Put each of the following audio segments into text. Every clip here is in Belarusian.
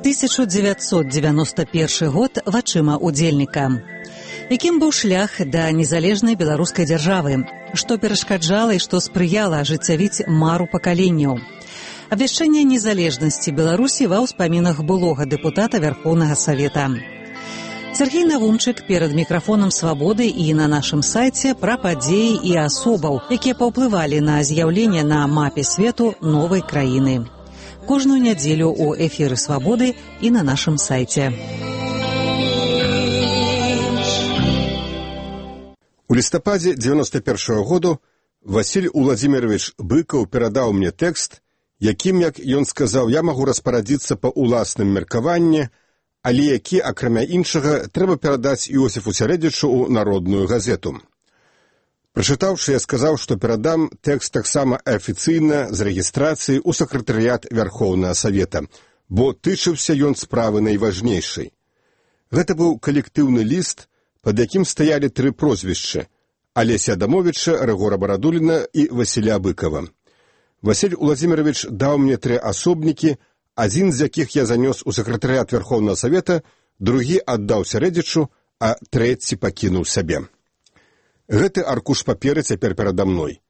1991 год вачыма удзельніка. Якім быў шлях да незалежнай беларускай дзяржавы? Што перашкаджала і што спрыяла ажыццявіць мару пакаленняў? Абвяшчэнне незалежнасці Беларусі ва ўспамінах былога дэпутата Вярхоўнага Савета. Сергей Навумчык перад мікрафонам «Свабоды» і на нашым сайце пра падзеі і асобаў, якія паўплывалі на з'яўленне на мапе свету новай краіны. Кожную нядзелю ў эфіры «Свабоды» і на нашым сайце. У лістападзе 91-го году Васіль Уладзімірович Быкаў перадаў мне тэкст, якім, як ён сказаў, я магу распарадзіцца па ўласным меркаванні, але які, акрамя іншага, трэба перадаць Іосіфу Сярэдзічу ў народную газету. Прачытаўшы, я сказаў, што перадам тэкст таксама афіцыйна з рэгістрацыяй у сакратарыят Вярхоўнага Савета, бо тычыўся ён справы найважнейшай. Гэта быў калектыўны ліст, пад якім стаялі тры прозвішчы – Алеся Адамовіча, Рыгора Барадуліна і Васіля Быкава. Васіль Уладзімірович даў мне тры асобнікі, адзін з якіх я занёс у сакратарыят Вярхоўнага Савета, другі аддаў Сярэдзічу, а трэці пакінуў сабе. Гэты аркуш паперы цяпер перада мной.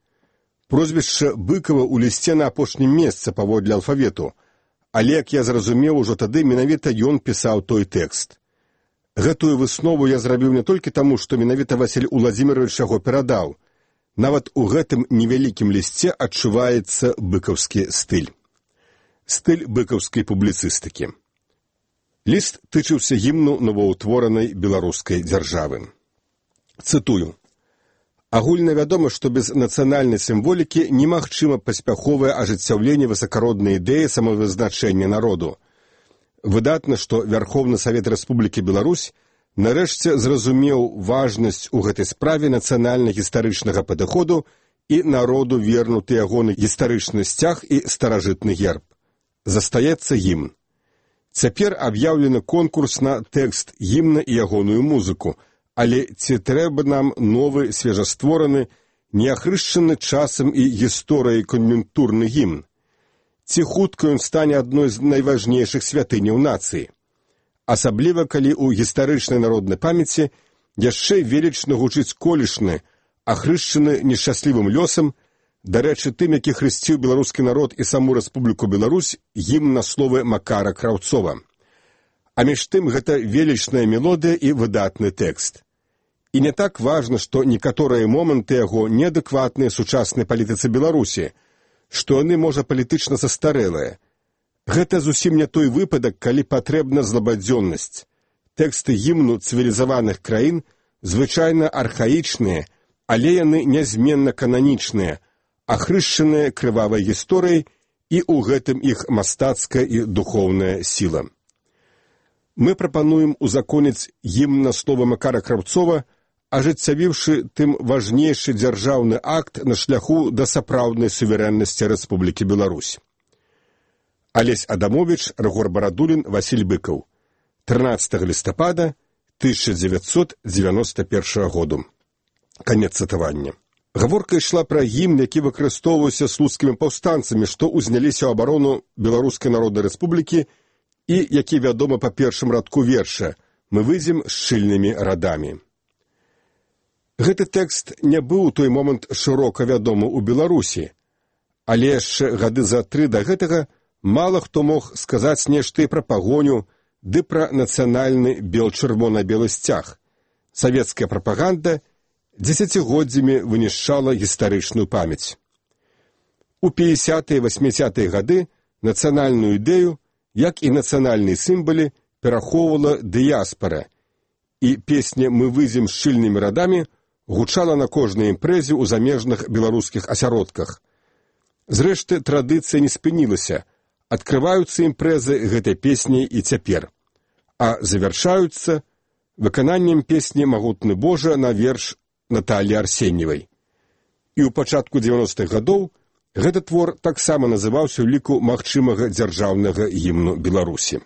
Прозвішча Быкава ў лісце на апошнім месцы паводле алфавету, але, як я зразумеў, ужо тады менавіта ён пісаў той тэкст. Гэтую выснову я зрабіў не толькі таму, што менавіта Васіль Уладзімірович яго перадаў. Нават у гэтым невялікім лісце адчуваецца быкаўскі стыль. Стыль быкаўскай публіцыстыкі. Ліст тычыўся гімну новаўтворанай беларускай дзяржавы. Цытую. Агульна вядома, што без нацыянальнай сімволікі немагчыма паспяховае ажыццяўленне высакароднай ідэі самавызначэння народу. Выдатна, што Вярхоўны Савет Рэспублікі Беларусь нарэшце зразумеў важнасць у гэтай справе нацыянальна-гістарычнага падыходу і народу вернуты ягоны гістарычны сцяг і старажытны герб. Застаецца гімн. Цяпер аб'яўлены конкурс на тэкст гімна і ягоную музыку, але ці трэба нам новы, свежаствораны, неахрышчаны часам і гісторыяй кан'юнктурны гімн? Ці хутка ён стане адной з найважнейшых святыняў нацыі? Асабліва, калі ў гістарычнай народнай памяці яшчэ велічна гучыць колішны, ахрышчаны нешчаслівым лёсам, дарэчы, тым, які хрысціў беларускі народ і саму Рэспубліку Беларусь, гімн на словы Макара Краўцова. А між тым гэта велічная мелодыя і выдатны тэкст. І не так важна, што некаторыя моманты яго неадэкватныя сучаснай палітыцы Беларусі, што яны, можа, палітычна састарэлыя. Гэта зусім не той выпадак, калі патрэбна злабадзённасць. Тэксты гімну цывілізаваных краін звычайна архаічныя, але яны нязменна кананічныя, ахрышчаныя крывавай гісторыяй, і ў гэтым іх мастацкая і духоўная сіла. Мы прапануем узаконіць гімн на словы Макара Краўцова, ажыццявіўшы тым важнейшы дзяржаўны акт на шляху да сапраўднай суверэннасці Рэспублікі Беларусь. Алесь Адамовіч, Рыгор Барадулін, Васіль Быкаў. 13 лістапада 1991 году. Канец цытавання. Гаворка ішла пра гімн, які выкарыстоўваўся слуцкімі паўстанцамі, што ўзняліся ў абарону Беларускай Народнай Рэспублікі і які вядома па першым радку верша «Мы выйдзем шчыльнымі радамі». Гэты тэкст не быў у той момант шырока вядомы ў Беларусі, але яшчэ гады за 3 да гэтага мала хто мог сказаць нешта і пра пагоню, ды пра нацыянальны бел-чырвона-белы сцяг. Савецкая прапаганда дзесяцігоддзямі вынішчала гістарычную памяць. У 50-е і 80-е гады нацыянальную ідэю, як і нацыянальныя сімвалы, перахоўвала дыяспара, і песня «Мы выйдзем шчыльнымі радамі» гучала на кожнай імпрэзе ў замежных беларускіх асяродках. Зрэшты, традыцыя не спынілася, адкрываюцца імпрэзы гэтай песняй і цяпер, а завяршаюцца выкананнем песні «Магутны Божа» на верш Наталі Арсеньевай. І ў пачатку 90-х гадоў гэты твор таксама называўся ў ліку магчымага дзяржаўнага гімну Беларусі.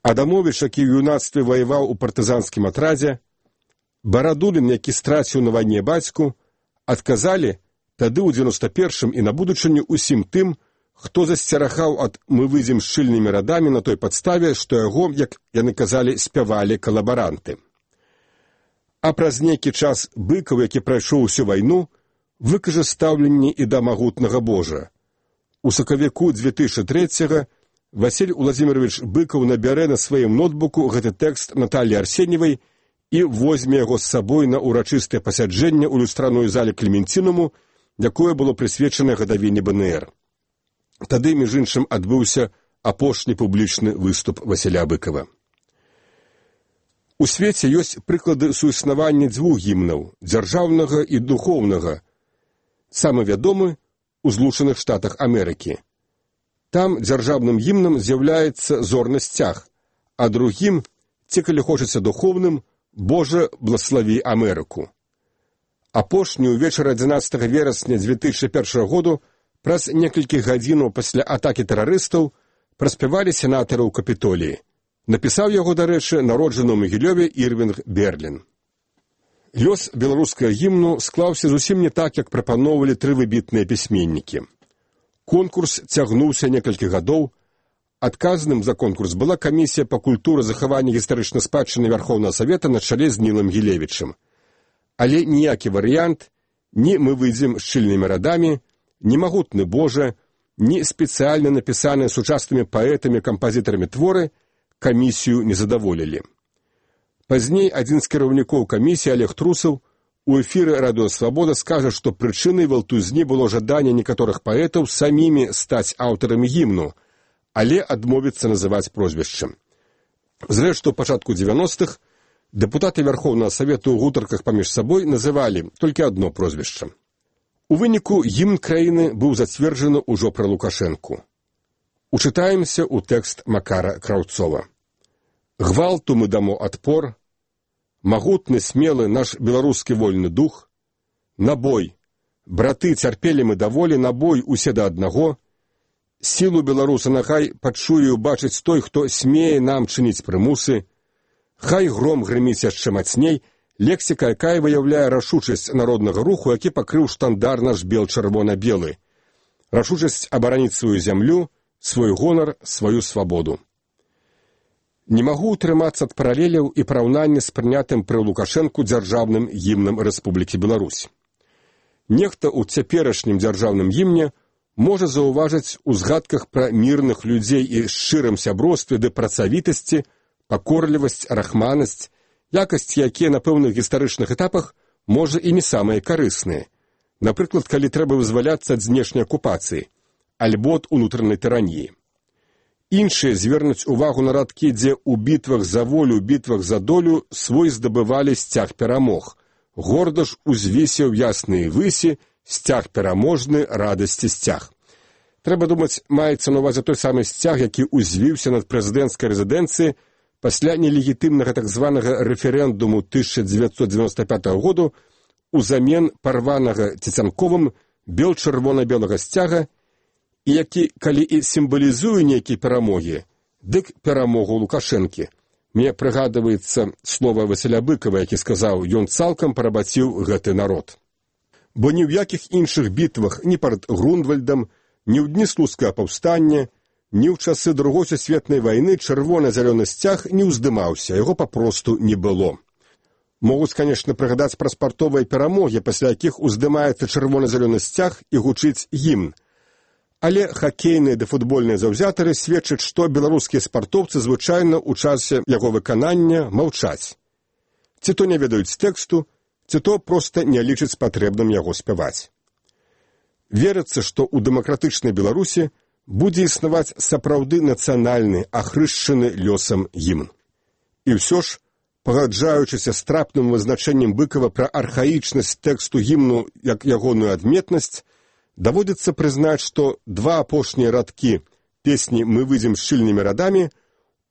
Адамовіч, які ў юнацтве ваяваў у партызанскім атрадзе, Барадулін, які страціў на вайне бацьку, адказалі тады ў 91-м і на будучыню усім тым, хто засцерагаў ад «мы выйдзем шчыльнымі радамі» на той падставе, што яго, як яны казалі, спявалі калабаранты. А праз нейкі час Быкаў, які прайшоў усю вайну, выкажа стаўленне і да магутнага Божа. У сакавіку 2003-го Васіль Уладзімірович Быкаў набярэ на сваім ноутбуку гэты тэкст Наталлі Арсеньевай і возьме яго з сабой на урачыстае пасяджэнне ў люстраную зале Клементінуму, якое было прысвечана гадавіне БНР. Тады, між іншым, адбыўся апошні публічны выступ Васіля Быкава. У свеце ёсць прыклады суіснавання дзвюх гімнаў, дзяржаўнага і духоўнага. Самы вядомы у Злучаных Штатах Амерыкі. Там дзяржаўным гімнам з'яўляецца зорны сцяг, а другім, ці калі хочацца духоўным, «Боже, благослови Амерыку». Апошні ўвечары 11 верасня 2001 году праз некалькі гадзінаў пасля атакі тэрарыстаў праспявалі сенатары ў Капітоліі. Напісаў яго, дарэчы, народжаны ў Магілёве Ірвінг Берлін. Лёс беларускага гімну склаўся зусім не так, як прапаноўвалі тры выбітныя пісьменнікі. Конкурс цягнуўся некалькі гадоў. Адказным за конкурс была камісія па культуры захавання гістарычнай спадчыны Вярхоўнага Савета на чале з Нілам Гілевічым. Але ніякі варыянт, ні «мы выйдзем шчыльнымі радамі», ні «магутны Божа», ні спецыяльна напісаныя сучаснымі паэтамі-кампазітарамі творы камісію не задаволілі. Пазней адзін з кіраўнікоў камісіі Олег Трусаў у эфіры «Радыё Свабода» скажа, што прычынай валтузні было жаданне некаторых паэтаў самімі стаць аўтарамі гімну, але адмовіцца называць прозвішчам. Зрэшты, у пачатку 90-х дэпутаты Вярхоўнага Савету ў гутарках паміж сабой называлі толькі адно прозвішча. У выніку гімн краіны быў зацверджаны ўжо пры Лукашэнку. Учытаемся ў тэкст Макара Краўцова. «Гвалту мы дамо адпор, магутны, смелы наш беларускі вольны дух, на бой, браты, цярпелі мы даволі, на бой усе да аднаго, сілу беларуса нахай пачуе убачыць той, хто смее нам чыніць прымусы, хай гром грыміць яшчэ мацней, лексіка, якая выяўляе рашучасць народнага руху, які пакрыў штандар наш бел-чырвона-белы, рашучасць абараніць сваю зямлю, свой гонар, сваю свабоду». Не магу ўтрымацца ад паралеляў і параўнання з прынятым пры Лукашэнку дзяржаўным гімнам Рэспублікі Беларусь. Нехта ў цяперашнім дзяржаўным гімне можа заўважыць у згадках пра мірных людзей і шчырым сябростве ды працавітасці, пакорлівасць, рахманасць, якасці, якія на пэўных гістарычных этапах, можа, і не самыя карысныя. Напрыклад, калі трэба вызваляцца ад знешняй акупацыі, альбо ад унутранай тыраніі. Іншыя звернуць увагу на радкі, дзе ў бітвах за волю, бітвах за долю свой здабывалі сцяг перамог. Горда ж узвісеў ясныя высі, сцяг пераможны, радасці сцяг. Трэба думаць, маецца на ўвазе той самы сцяг, які узвіўся над прэзідэнцкай рэзідэнцыі пасля нелегітымнага так званага рэферэндуму 1995 году узамен парванага Цецянковым бел-чырвона-белага сцяга, і які, калі і сімвалізуе нейкія перамогі, дык перамогу Лукашэнкі. Мне прыгадваецца слова Васіля Быкава, які сказаў, ён цалкам парабаціў гэты народ. Бо ні ў якіх іншых бітвах, ні перад Грунвальдам, ні ў дні слуцкага паўстання, ні ў часы Другой сусветнай вайны чырвона-зялёны сцяг не ўздымаўся, яго папросту не было. Могуць, канешне, прыгадаць пра спартовыя перамогі, пасля якіх уздымаецца чырвона-зялёны сцяг і гучыць гімн. Але хакейныя ды футбольныя заўзятары сведчаць, што беларускія спартоўцы звычайна ў часе яго выканання маўчаць. Ці то не ведаюць тэксту, ці то проста не лічаць патрэбным яго спяваць. Верыцца, што ў дэмакратычнай Беларусі будзе існаваць сапраўды нацыянальны, ахрышчаны лёсам гімн. І ўсё ж, пагаджаючыся з трапным вызначэннем Быкава пра архаічнасць тэксту гімну як ягоную адметнасць, даводзіцца прызнаць, што два апошнія радкі песні «Мы выйдзем шчыльнымі радамі»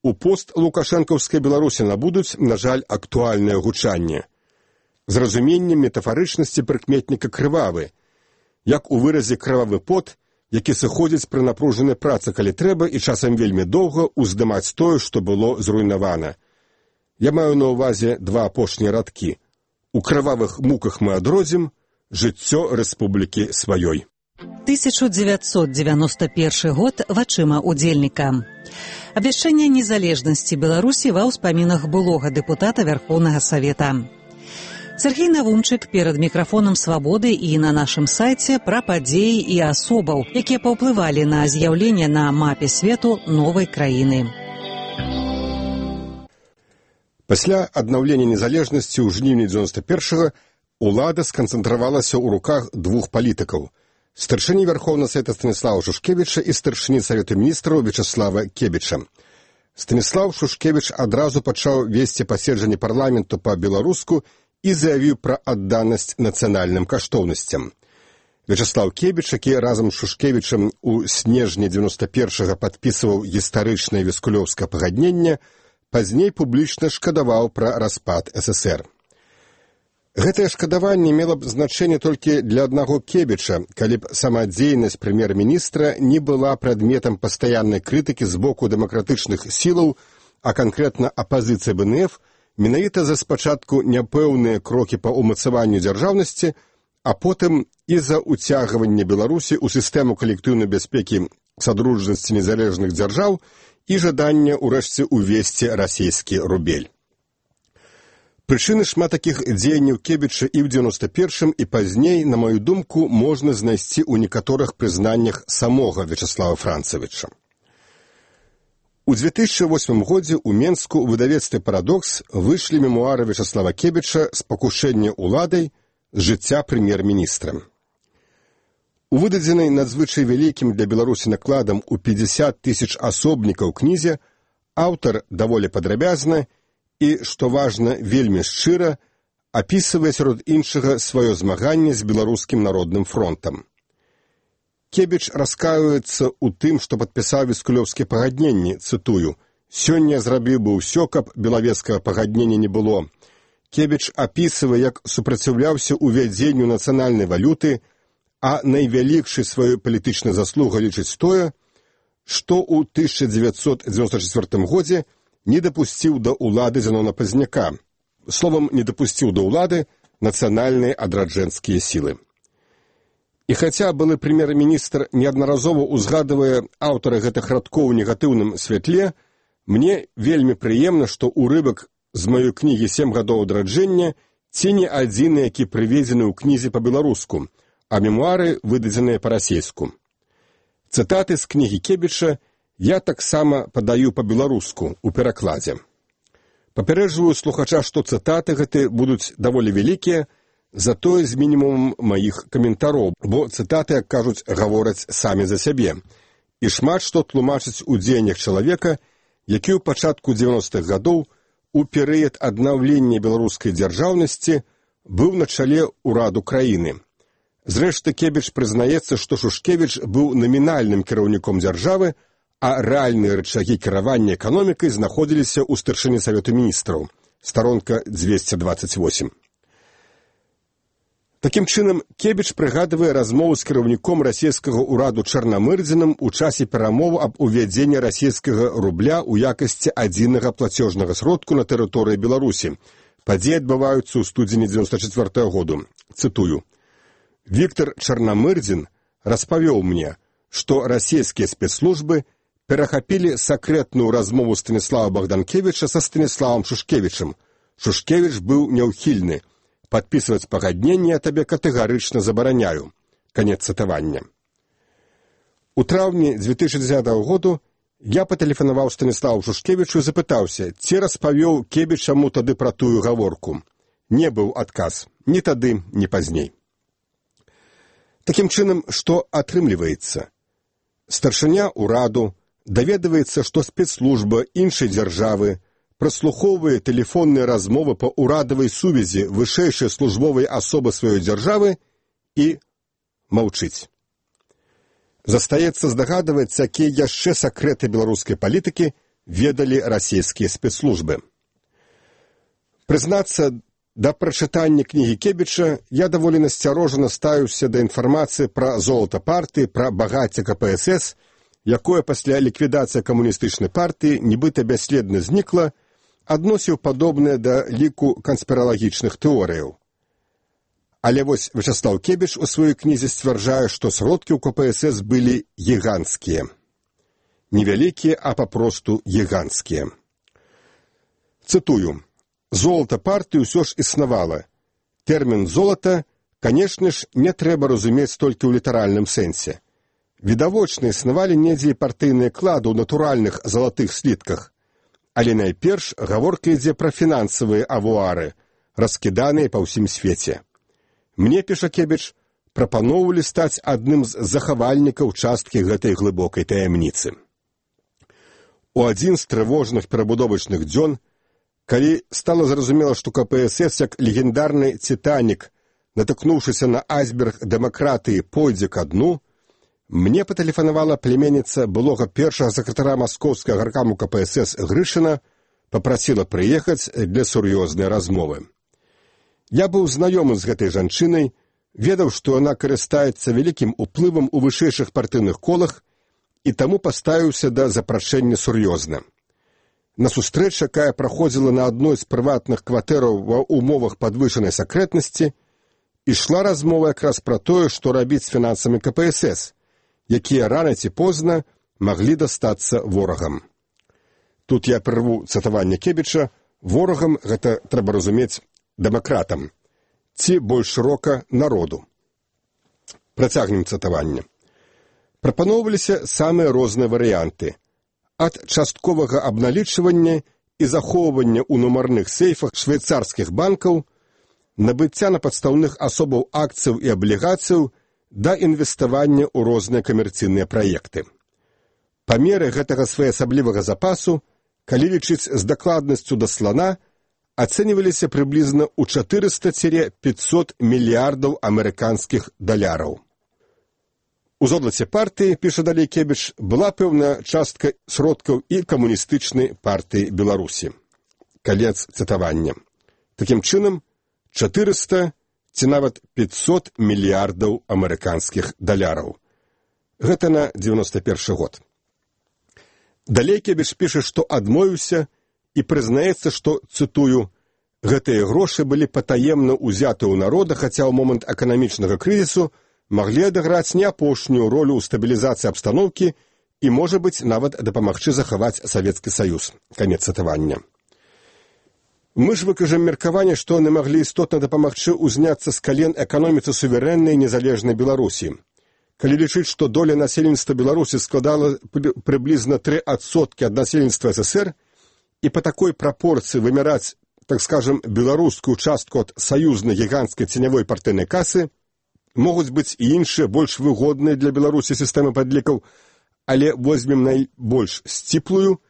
у пост-лукашэнкаўскай Беларусі набудуць, на жаль, актуальнае гучанне. З разуменнем метафарычнасці прыкметніка крывавы, як у выразе крывавы пот, які сыходзіць пры напружанай працы, калі трэба, і часам вельмі доўга ўздымаць тое, што было зруйнавана. Я маю на ўвазе два апошнія радкі. У крывавых муках мы адродзім жыццё рэспублікі сваёй. 1991 год вачыма удзельніка. Абвяшчэнне незалежнасці Беларусі ва ўспамінах былога дэпутата Вярхоўнага Савета. Сергей Навунчык перад мікрафонам «Свабоды» і на нашым сайце пра падзеі і асобаў, якія паўплывалі на з'яўленне на мапе свету новай краіны. Пасля аднаўлення незалежнасці ў жніўні 91-го улада сканцэнтравалася ў руках двух палітыкаў – старшыні Вярхоўнага Савета Станіслава Шушкевіча і старшыні Савету міністраў Вячаслава Кебіча. Станіслав Шушкевіч адразу пачаў весці паседжанні парламенту па-беларуску і заявіў пра адданасць нацыянальным каштоўнасцям. Вячаслав Кебіч, які разам з Шушкевічам у снежні 91-го падпісваў гістарычнае віскулёўскае пагадненне, пазней публічна шкадаваў пра распад ССР. Гэтае шкадаванне мела б значэнне толькі для аднаго Кебіча, калі б самадзейнасць прэм'ер-міністра не была прадметам пастаяннай крытыкі з боку дэмакратычных сілаў, а канкрэтна апазіцыі БНФ, менавіта за спачатку няпэўныя крокі па ўмацаванню дзяржаўнасці, а потым і за ўцягванне Беларусі ў сістэму калектыўнай бяспекі Садружнасці незалежных дзяржаў і жаданне ўрэшце ўвесці расійскі рубель. Прычыны шмат такіх дзеянняў Кебіча і ў 91-м і пазней, на маю думку, можна знайсці ў некаторых прызнаннях самога Вячаслава Францавіча. У 2008 годзе ў Менску ў выдавецтве «Парадокс» выйшлі мемуары Вячаслава Кебіча «Спакушэнне уладай. З жыцця прэм'ер-міністра». У выдадзенай надзвычай вялікім для Беларусі накладам у 50 000 асобнікаў кнізе аўтар даволі падрабязна і, што важна, вельмі шчыра, апісвае сярод іншага сваё змаганне з беларускім народным фронтам. Кебіч раскаюецца ў тым, што падпісаў віскулёўскія пагадненні, цытую, «Сёння зрабіў бы ўсё, каб белавецкага пагаднення не было». Кебіч апісвае, як супраціўляўся ўвядзенню нацыянальнай валюты, а найвялікшай сваёй палітычнай заслугай лічыць тое, што ў 1994 годзе не дапусціў да ўлады Зянона Пазняка. Словам, не дапусціў да ўлады нацыянальныя адраджэнскія сілы. І хаця былы прэм'ер-міністр неаднаразова ўзгадвае аўтара гэтых радкоў у негатыўным святле, мне вельмі прыемна, што ўрывак з маёй кнігі «7 гадоў адраджэння» ці не адзіны, які прыведзены ў кнізе па-беларуску, а мемуары выдадзеныя па-расейску. Цытаты з кнігі Кебіча я таксама падаю па-беларуску ў перакладзе. Папярэджваю слухача, што цытаты гэты будуць даволі вялікія, затое з мінімумам маіх каментароў, бо цытаты, як кажуць, гавораць самі за сябе. І шмат што тлумачыць у дзеяннях чалавека, які ў пачатку 90-х гадоў у перыяд аднаўлення беларускай дзяржаўнасці быў на чале ўраду краіны. Зрэшты, Кебіч прызнаецца, што Шушкевіч быў намінальным кіраўніком дзяржавы, а рэальныя рычагі кіравання эканомікай знаходзіліся ў старшыні Савету міністраў. Старонка 228. Такім чынам, Кебіч прыгадвае размову з кіраўніком расійскага ўраду Чарнамырдзінам у часе перамоў аб увядзенні расійскага рубля ў якасці адзінага плацежнага сродку на тэрыторыі Беларусі. Падзеі адбываюцца ў студзені 94 году. Цытую. «Віктор Чарнамырдзін распавёў мне, што расійскія спецслужбы перахапілі сакрэтную размову Станіслава Богданкевіча са Станіславам Шушкевічам. Шушкевіч быў няўхільны. Падпісваць пагадненне я табе катэгарычна забараняю». Канец цытавання. У траўні 2010 году я патэлефанаваў Станіславу Шушкевічу і запытаўся, ці распавёў Кебіч яму тады пра тую гаворку. Не быў адказ. Ні тады, ні пазней. Такім чынам, што атрымліваецца? Старшыня ўраду даведваецца, што спецслужба іншай дзяржавы праслухоўвае тэлефонныя размовы па ўрадавай сувязі вышэйшай службовай асобы сваёй дзяржавы і маўчыць. Застаецца здагадваць, якія яшчэ сакрэты беларускай палітыкі ведалі расійскія спецслужбы. Прызнацца, да прачытання кнігі Кебіча я даволі насцярожана стаюся да інфармацыі пра золата партыі, пра багацце КПСС, якое пасля ліквідацыі камуністычнай партыі нібыта бясследна знікла, адносіў падобнае да ліку канспіралагічных тэорыяў. Але вось Вячаслаў Кебіч у сваёй кнізе сцвярджае, што сродкі ў КПСС былі гіганцкія. Невялікія, а папросту гіганцкія. Цытую. «Золата партыі ўсё ж існавала. Тэрмін «золата», канешне ж, не трэба разумець толькі ў літаральным сэнсе. Відавочна існавалі недзе і партыйныя клады ў натуральных залатых слітках. Але найперш гаворка ідзе пра фінансавыя авуары, раскіданыя па ўсім свеце. Мне, піша Кебіч, прапаноўвалі стаць адным з захавальнікаў часткі гэтай глыбокай таямніцы. У адзін з трывожных перабудовачных дзён, калі стала зразумела, што КПСС, як легендарны «Титанік», натыкнуўшыся на айсберг дэмакратыі, пойдзе ка дну, мне патэлефанавала племянніца былога першага сакратара маскоўскага гаркаму КПСС Грышына, папрасіла прыехаць для сур'ёзнай размовы. Я быў знаёмы з гэтай жанчынай, ведаў, што яна карыстаецца вялікім уплывам у вышэйшых партыйных колах і таму паставіўся да запрашэння сур'ёзна. На сустрэча, якая праходзіла на адной з прыватных кватэраў ва ўмовах падвышанай сакрэтнасці, ішла размова якраз пра тое, што рабіць з фінансамі КПСС, якія рана ці позна маглі дастацца ворагам. Тут я прырву цытаванне Кебіча, ворагам гэта трэба разумець дэмакратам, ці больш шырока народу. Працягнем цытаванне. Прапаноўваліся самыя розныя варыянты. Ад частковага абналічвання і захоўвання ў нумарных сейфах швейцарскіх банкаў, набыцця на падстаўных асобаў акцыяў і аблігацыяў да інвеставання ў розныя камерцыйныя праекты. Памеры гэтага своеасаблівага запасу, калі лічыць з дакладнасцю да слана, ацэньваліся прыблізна ў 400-500 мільярдаў амерыканскіх даляраў. У золаце партыі, піша далей Кебіч, была пэўная частка сродкаў і камуністычнай партыі Беларусі. Канец цытавання. Такім чынам, 400 ці нават 500 мільярдаў амерыканскіх даляраў. Гэта на 91 год. Далей Кебіч піша, што адмовіўся і прызнаецца, што, цытую, гэтыя грошы былі патаемна ўзяты ў народа, хаця ў момант эканамічнага крызісу маглі адыграць не апошнюю ролю ў стабілізацыі абстаноўкі і, можа быць, нават дапамагчы захаваць Савецкі Саюз. Канец цытавання. Мы ж выкажам меркаванне, што яны маглі істотна дапамагчы ўзняцца з кален эканоміцы суверэннай незалежнай Беларусі. Калі лічыць, што доля насельніцтва Беларусі складала прыблізна 3% ад насельніцтва СССР, і па такой прапорцыі вымяраць, так скажем, беларускую частку ад саюзнай гіганцкай ценявой партыйнай касы, могуць быць і іншыя, больш выгодныя для Беларусі сістэмы падлікаў, але возьмем найбольш сціплую,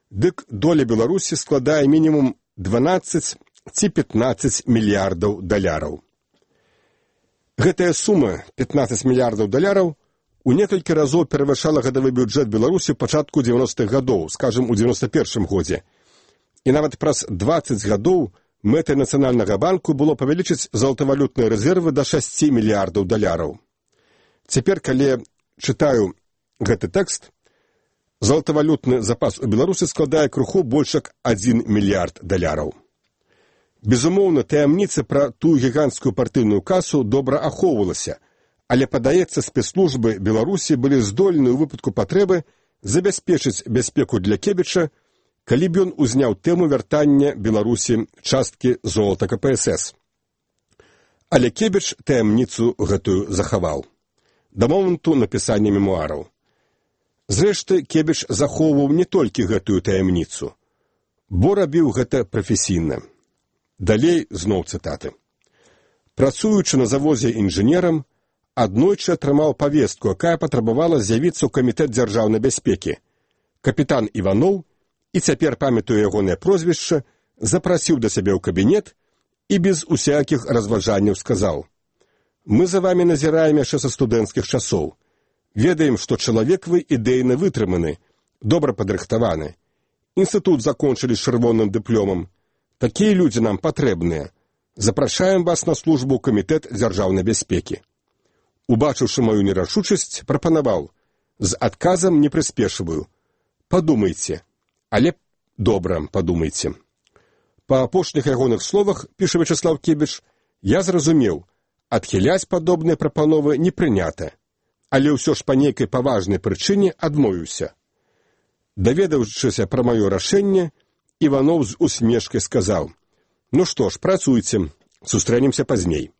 дык доля Беларусі складае мінімум 12 ці 15 мільярдаў даляраў. Гэтая сума, 15 мільярдаў даляраў, у некалькі разоў перавышала гадавы бюджэт Беларусі ў пачатку 90-х гадоў, скажем, у 91-м годзе. І нават праз 20 гадоў мэтай Нацыянальнага банку было павялічыць золатавалютныя рэзервы да 6 мільярдаў даляраў. Цяпер, калі чытаю гэты тэкст, золатавалютны запас у Беларусі складае крыху больш як 1 мільярд даляраў. Безумоўна, таямніца пра тую гіганцкую партыйную касу добра ахоўвалася, але, падаецца, спецслужбы Беларусі былі здольны ў выпадку патрэбы забяспечыць бяспеку для Кебіча, калі б ён узняў тэму вяртання Беларусі часткі золата КПСС. Але Кебіч таямніцу гэтую захаваў. Да моманту напісання мемуараў. Зрэшты, Кебіч захоўваў не толькі гэтую таямніцу, бо рабіў гэта прафесійна. Далей зноў цытаты. Працуючы на завозе інжынерам, аднойчы атрымаў павестку, якая патрабавала з'явіцца ў камітэт дзяржаўнай бяспекі. Капітан Іваноў, і цяпер памятаю ягонае прозвішча, запрасіў да сябе ў кабінет і без усякіх разважанняў сказаў: «Мы за вами назіраем яшчэ са студэнцкіх часоў. Ведаем, што чалавек вы ідэйна вытрыманы, добра падрыхтаваны. Інстытут закончылі з чырвоным дыпломам. Такія людзі нам патрэбныя. Запрашаем вас на службу ў камітэт дзяржаўнай бяспекі». Убачыўшы маю нерашучасць, прапанаваў: «З адказам не прыспешваю. Падумайце, але добра падумайце». Па апошніх ягоных словах, піша Вячаслаў Кебіч, я зразумеў, Адхіляць падобныя прапановы не прынята, але ўсё ж па нейкай паважнай прычыне адмовіўся. Даведаўшыся пра маё рашэнне, Іванов з усмешкай сказаў: «Ну што ж, працуйце, сустрэнемся пазней».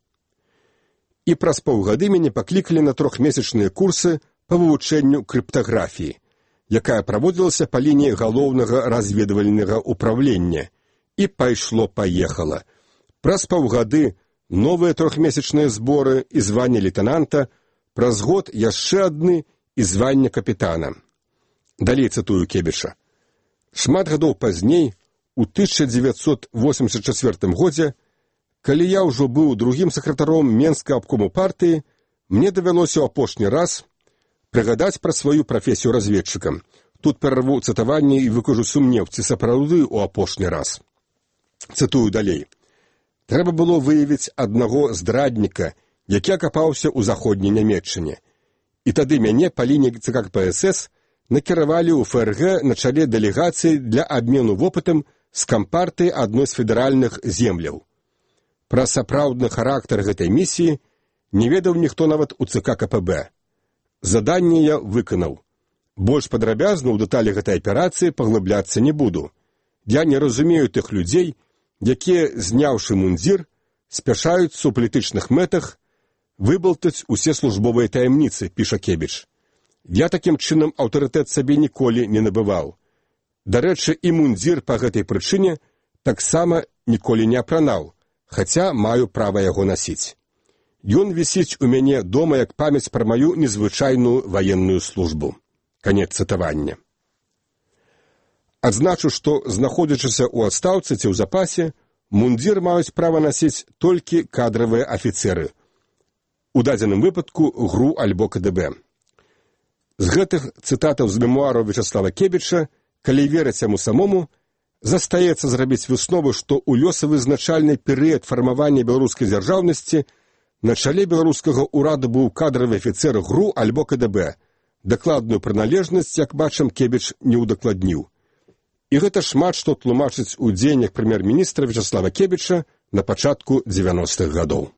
І праз паўгады мяне паклікалі на 3-месячныя курсы па вывучэнню крыптаграфіі, якая праводзілася па лініі галоўнага разведвальнага ўправлення, і пайшло-паехала. Праз паўгады новыя 3-месячныя зборы і званне лейтенанта, праз год яшчэ адны і званне капітана. Далей цытую Кебіша. Шмат гадоў пазней, у 1984 годзе, калі я ўжо быў другім сакратаром Менскага абкому партыі, мне давялося ў апошні раз прыгадаць пра сваю прафесію разведчыка. Тут перарву цытаванне і выкажу сумнеў, ці сапраўды ў апошні раз. Цытую далей. Трэба было выявіць аднаго здрадніка, які акапаўся ў заходняй Нямецчыне. І тады мяне па лініі ЦК КПСС накіравалі ў ФРГ на чале дэлегацыі для абмену вопытам з кампартыі адной з федэральных земляў. Пра сапраўдны характар гэтай місіі не ведаў ніхто нават у ЦК КПБ. Заданне я выканаў. Больш падрабязна ў дэталі гэтай аперацыі паглыбляцца не буду. Я не разумею тых людзей, якія, зняўшы мундзір, спяшаюцца ў палітычных мэтах выбалтаць усе службовыя таямніцы, піша Кебіч. Я такім чынам аўтарытэт сабе ніколі не набываў. Дарэчы, і мундзір па гэтай прычыне таксама ніколі не апранаў, хаця маю права яго насіць. Ён вісіць у мяне дома як памяць пра маю незвычайную ваенную службу. Канец цытавання. Адзначу, што, знаходзячыся ў адстаўцы ці ў запасе, мундзір маюць права насіць толькі кадравыя афіцеры. У дадзеным выпадку ГРУ альбо КДБ. З гэтых цытатаў з мемуараў Вячаслава Кебіча, калі верыць яму самому, застаецца зрабіць выснову, што ў лёсавызначальны перыяд фармавання беларускай дзяржаўнасці на чале беларускага ўраду быў кадравы афіцэр ГРУ альбо КДБ. Дакладную прыналежнасць, як бачым, Кебіч не ўдакладніў. І гэта шмат што тлумачыць у дзеяннях прэм'ер-міністра Вячаслава Кебіча на пачатку 90-х гадоў.